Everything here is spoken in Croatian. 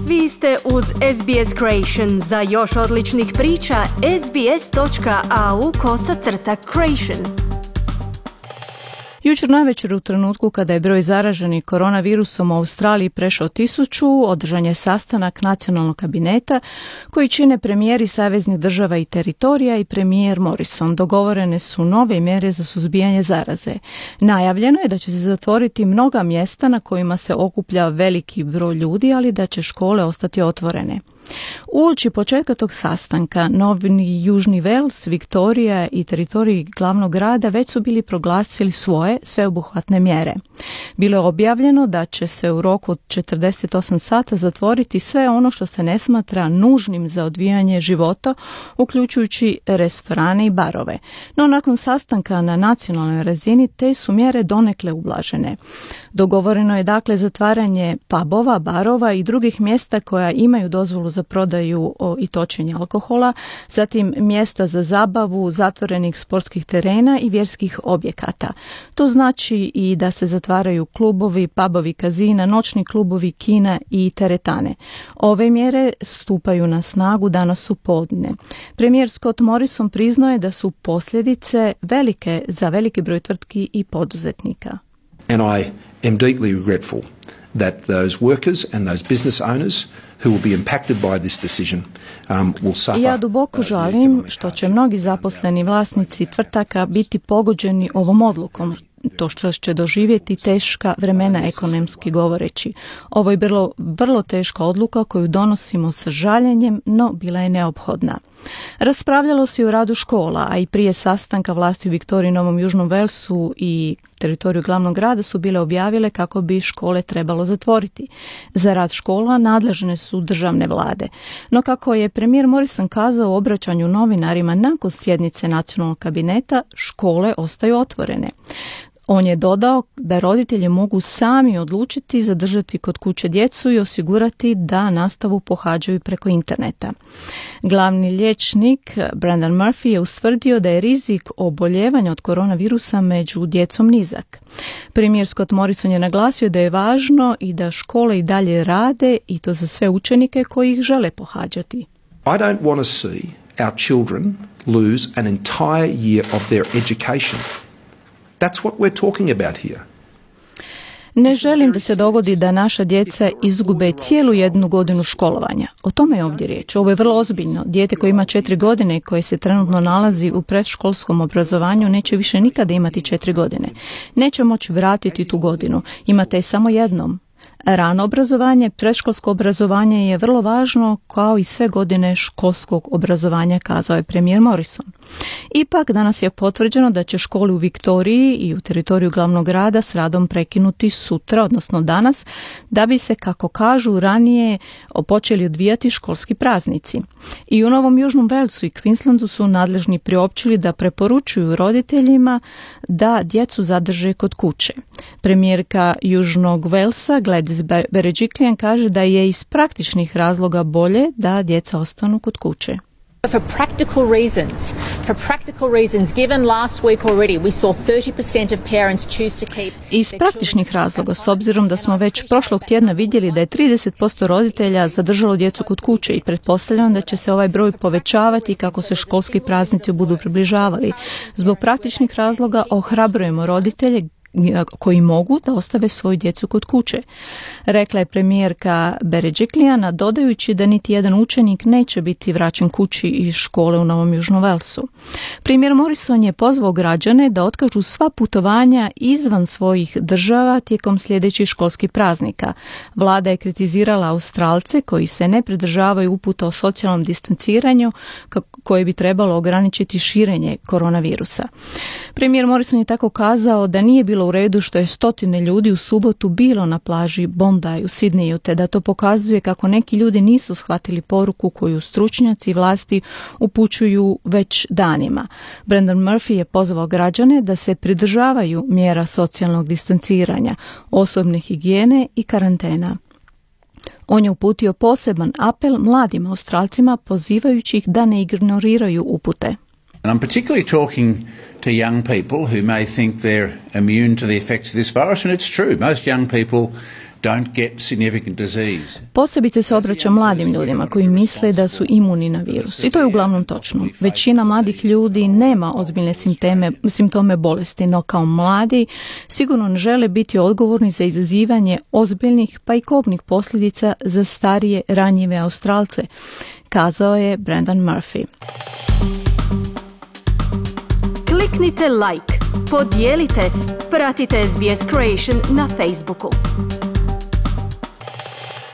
Vi ste uz SBS Creation. Za još odličnih priča, sbs.au/creation. Jučer navečer u trenutku kada je broj zaraženih koronavirusom u Australiji prešao 1000, održan je sastanak nacionalnog kabineta koji čine premijeri saveznih država i teritorija i premijer Morrison. Dogovorene su nove mjere za suzbijanje zaraze. Najavljeno je da će se zatvoriti mnoga mjesta na kojima se okuplja veliki broj ljudi, ali da će škole ostati otvorene. Uoči početka tog sastanka, Novi Južni Wales, Viktorija i teritoriji glavnog grada već su bili proglasili svoje sveobuhvatne mjere. Bilo je objavljeno da će se u roku od 48 sata zatvoriti sve ono što se ne smatra nužnim za odvijanje života, uključujući restorane i barove. No nakon sastanka na nacionalnoj razini te su mjere donekle ublažene. Dogovoreno je dakle zatvaranje pubova, barova i drugih mjesta koja imaju dozvolu za prodaju i točenje alkohola, zatim mjesta za zabavu, zatvorenih sportskih terena i vjerskih objekata. To znači i da se zatvaraju klubovi, pubovi, kazina, noćni klubovi, kina i teretane. Ove mjere stupaju na snagu danas u podne. Premijer Scott Morrison priznao je da su posljedice velike za veliki broj tvrtki i poduzetnika. And I am deeply regretful that those workers and those business owners who will be impacted by this decision will suffer. Ja duboko žalim što će mnogi zaposleni vlasnici tvrtaka biti pogođeni ovom odlukom. To što će doživjeti teška vremena ekonomski govoreći. Ovo je vrlo teška odluka koju donosimo sa žaljenjem, no bila je neophodna. Raspravljalo se i o radu škola, a i prije sastanka vlasti u Viktoriji, Novom Južnom Walesu i teritoriju glavnog grada su bile objavile kako bi škole trebalo zatvoriti. Za rad škola nadležne su državne vlade. No kako je premijer Morrison kazao u obraćanju novinarima nakon sjednice nacionalnog kabineta, škole ostaju otvorene. On je dodao da roditelji mogu sami odlučiti zadržati kod kuće djecu i osigurati da nastavu pohađaju preko interneta. Glavni liječnik Brendan Murphy je ustvrdio da je rizik oboljevanja od koronavirusa među djecom nizak. Premijer Scott Morrison je naglasio da je važno i da škole i dalje rade i to za sve učenike koji ih žele pohađati. I don't want to see our children lose an entire year of their education. That's what we're talking about here. Ne želim da se dogodi da naša djeca izgube cijelu jednu godinu školovanja. O tome je ovdje riječ. Ovo je vrlo ozbiljno. Dijete koje ima 4 godine i koje se trenutno nalazi u predškolskom obrazovanju neće više nikada imati 4 godine. Neće moći vratiti tu godinu. Imate je samo jednom. Rano obrazovanje, predškolsko obrazovanje je vrlo važno kao i sve godine školskog obrazovanja, kazao je premijer Morrison. Ipak danas je potvrđeno da će škole u Viktoriji i u teritoriju glavnog grada s radom prekinuti sutra, odnosno danas, da bi se, kako kažu, ranije počeli odvijati školski praznici. I u Novom Južnom Walesu i Queenslandu su nadležni priopćili da preporučuju roditeljima da djecu zadrže kod kuće. Premijerka Južnog Walesa Gladys Berejiklian kaže da je iz praktičnih razloga bolje da djeca ostanu kod kuće. For practical reasons, given last week already, we saw 30% of parents choose to keep. Iz praktičnih razloga, s obzirom da smo već prošlog tjedna vidjeli da je 30% roditelja zadržalo djecu kod kuće i pretpostavljam da će se ovaj broj povećavati kako se školski praznici budu približavali. Zbog praktičnih razloga ohrabrujemo roditelje koji mogu da ostave svoju djecu kod kuće, rekla je premijerka Berejiklian, dodajući da niti jedan učenik neće biti vraćen kući iz škole u Novom Južnom Walesu. Premijer Morrison je pozvao građane da otkažu sva putovanja izvan svojih država tijekom sljedećih školskih praznika. Vlada je kritizirala Australce koji se ne pridržavaju uputa o socijalnom distanciranju koje bi trebalo ograničiti širenje koronavirusa. Premijer Morrison je tako kazao da nije bilo u redu što je stotine ljudi u subotu bilo na plaži Bondi u Sidneju, te da to pokazuje kako neki ljudi nisu shvatili poruku koju stručnjaci i vlasti upućuju već danima. Brendan Murphy je pozvao građane da se pridržavaju mjera socijalnog distanciranja, osobne higijene i karantena. On je uputio poseban apel mladim Australcima pozivajući ih da ne ignoriraju upute. And I'm particularly talking to young people who may think they're immune to the effects of this virus, and it's true. Most young people don't get significant disease. Posebice se obraća mladim ljudima koji misle da su imuni na virus. I to je uglavnom točno. Većina mladih ljudi nema ozbiljne simptome bolesti, no kao mladi sigurno ne žele biti odgovorni za izazivanje ozbiljnih pa i kobnih posljedica za starije, ranjive Australce, kazao je Brendan Murphy. Kliknite like, podijelite, pratite SBS Creation na Facebooku.